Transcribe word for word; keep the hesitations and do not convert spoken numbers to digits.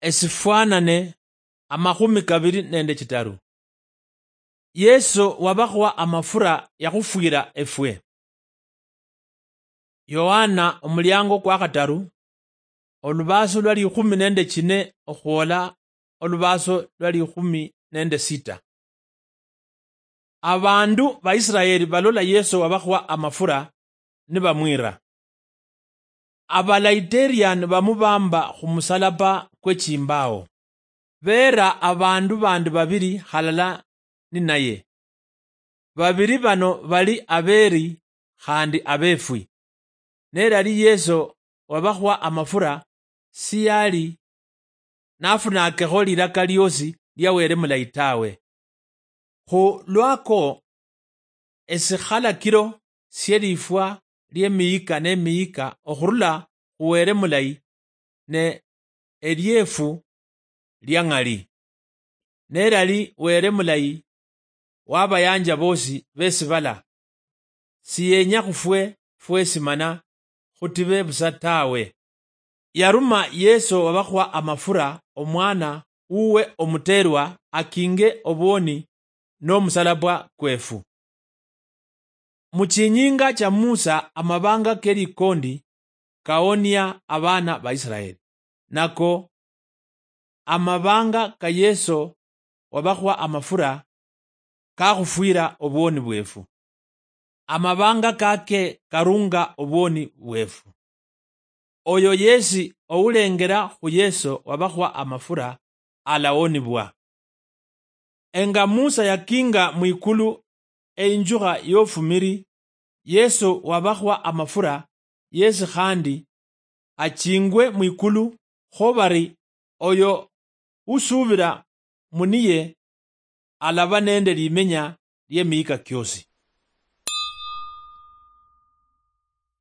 Esifwanane amakhumi kabili nende chitaru. Yesu wabakhuwa amafura yakhufwira efwe. Yohana omuliango kwa khataru, olubaaso lwa likhumi nende chine okhwola olubaaso lwa likhumi nende sita. Abandu ba Israeli balola Yesu wabakhuwa amafura nibamwira. Abalaiterian bamubamba khumusalaba kwe chimbawo. Beera abandu bandi babili halala ninaye. Babili bano bali abeeri khandi abeefwi. Nelali Yesu wabakhuwa amafura siyali nafunakekho lilaka liosi lia Wele Mulayi tawe. Khu lwako esikhalakilo sielifwa liemiyika nemiyika okhurula khu Wele Mulayi ne eliefu lia ng'ali. Nelali Wele Mulayi wabayanja bosi besibala, siyenya khufwe fwesi mana khutibe busa tawe. Yaruma Yesu wabakhuwa amafura omwana wuwe omuteerwa akinge obwoni nomusalabwa kwefu. Muchinyinga cha Musa amabanga kelikondi kaonia abana ba Israeli, nako amabanga ka Yesu wabakhuwa amafura kakhufwira obwoni bwefu. Amabanga kake karunga obwoni bwefu. Oyo yesi oulengera khu Yesu wabakhuwa amafura alawonibwa. Enga Musa yakinga mwikulu einjukha yofumiri, Yesu wabakhuwa amafura yesi khandi achingwe mwikulu, kho bari oyo usubira muniye alaba nende limenya liemiyika kiosi.